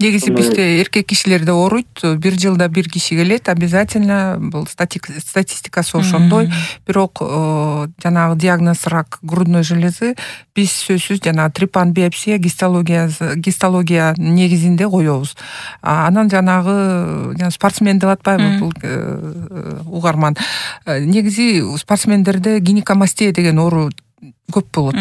Негизи бизде эркек кишилерде ооруйт. Бир жылда бир киши келет, обязательно бул статистикасы ошондой. Бирок жанагы диагноз рак грудной железы биз сөзсүз жанагы трипан-биопсия, гистология негизинде коебуз. Анан жанагы спортсмен деп атпайбы бул угарман. Негизи спортсмендерде гинекомастия деген оору көп болот.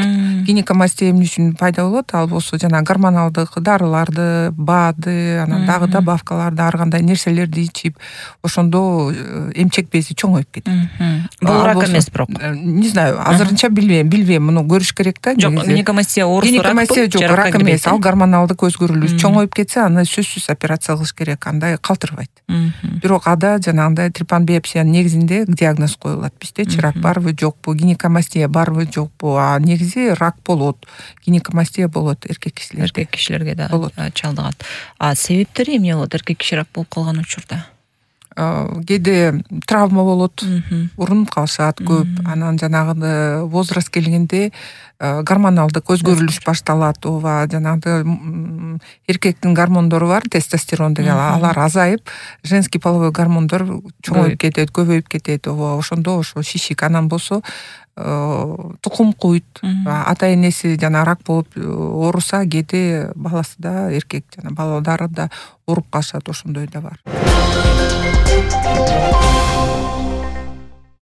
Гинекомастия эмне үчүн пайда болот? Ал болсо жана гормоналдык дарыларды, БАДы, анан дагы добавкаларды, ар кандай нерселерди ичип, ошондо эмчек бези чоңоюп кетет. Бул рак эмес бирок. Не знаю, азырынча билбейм, муну көрүш керек да. Жок, гинекомастия оорусу рак. Гинекомастия жок, рак эмес, ал гормоналдык өзгөрүлүш. Чоңоюп кетсе, аны сөзсүз операция кылыш керек, андай калтырбайт. Бирок ада жанагындай трипан-биопсиянын негизинде диагноз коюлат. Биздечи рак барбы, жокпу, гинекомастия барбы, жокпу, а негизи рак болот. Гинекомастия болот эркек кишилерде. Эркек кишилерге да чалдыгат. А себептери эмне болот эркек киши рак болуп калган учурда? Кээде травма болот, урунуп калышат көп. Анан жанагы возраст келгенде гормоналдык өзгөрүлүш башталат. Ооба, жанагы эркектин гормондору бар, тестостерон деген, алар азайып, женский половой гормондор чоңоюп кетет, көбөйүп кетет. Ооба, ошондо ошо шишик. Анан болсо тукум куйт. Ата энеси жана рак болуп ооруса, кээде баласы да, эркек жана балдары да ооруп калышат, ошондой да бар.